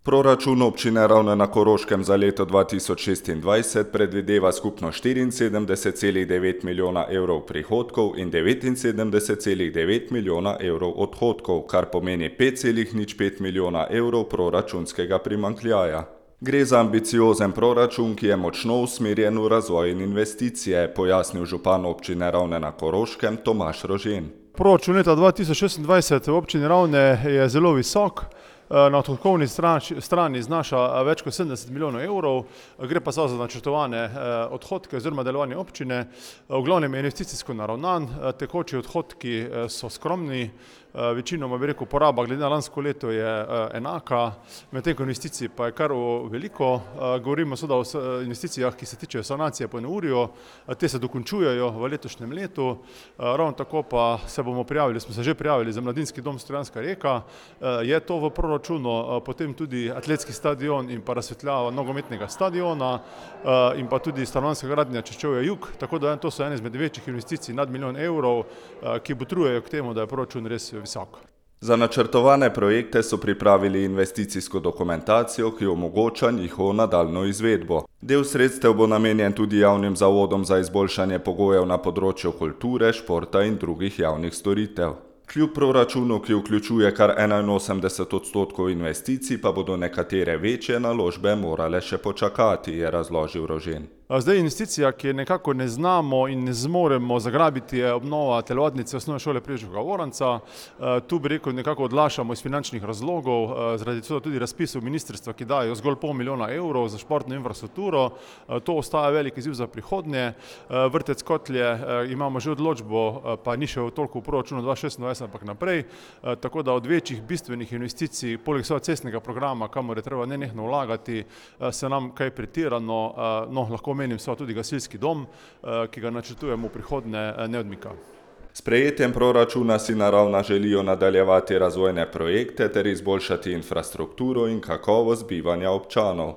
Proračun občine Ravne na Koroškem za leto 2026 predvideva skupno 74,9 milijona evrov prihodkov in 79,9 milijona evrov odhodkov, kar pomeni 5,05 milijona evrov proračunskega primanjkljaja. Gre za ambiciozen proračun, ki je močno usmerjen v razvoj in investicije, pojasnil župan občine Ravne na Koroškem Tomaž Rožen. Proračun leta 2026 v občini Ravne je zelo visok. Na odhodkovni strani znaša več kot 70 milijonov evrov, gre pa za načrtovane odhodke oziroma delovanje občine. V glavnem je investicijsko naravnan, tekoči odhodki so skromni, večinoma bi rekel poraba glede na lansko leto je enaka, medtem ko investicij pa je kar veliko. Govorimo seveda o investicijah, ki se tičejo sanacije po neurju, te se dokončujejo v letošnjem letu. Ravno tako pa smo se že prijavili za mladinski dom Stojanska Reka, je to v proračunu, potem tudi atletski stadion in pa razsvetljava nogometnega stadiona in pa tudi stanovanjska gradnja Češčevja jug, tako da to so ene izmed večjih investicij nad milijon evrov, ki botrujejo k temu, da je proračun res visok. Za načrtovane projekte so pripravili investicijsko dokumentacijo, ki omogoča njihovo nadaljnjo izvedbo. Del sredstev bo namenjen tudi javnim zavodom za izboljšanje pogojev na področju kulture, športa in drugih javnih storitev. Kljub proračunu, ki vključuje kar 81% investicij, pa bodo nekatere večje naložbe morale še počakati, je razložil Rožen. Zdaj investicija, ki je nekako ne znamo in ne zmoremo zagrabiti, je obnova telovadnice osnovne šole Preživega Voranca. Tu bi rekel nekako odlašamo iz finančnih razlogov, zaradi tega tudi razpisov ministrstva, ki dajo zgolj pol milijona evrov za športno infrastrukturo. To ostaja velik izziv za prihodnje. Vrtec Kotlje imamo že odločbo, pa ni še toliko v proračunu 2026, ampak naprej. Tako da od večjih bistvenih investicij, poleg cestnega programa, kamor je treba nenehno vlagati, se nam kaj pretirano, lahko menim tudi gasilski dom, ki ga načrtujemo v prihodnje, ne odmika. S sprejetjem proračuna si na Ravna želijo nadaljevati razvojne projekte ter izboljšati infrastrukturo in kakovost bivanja občanov.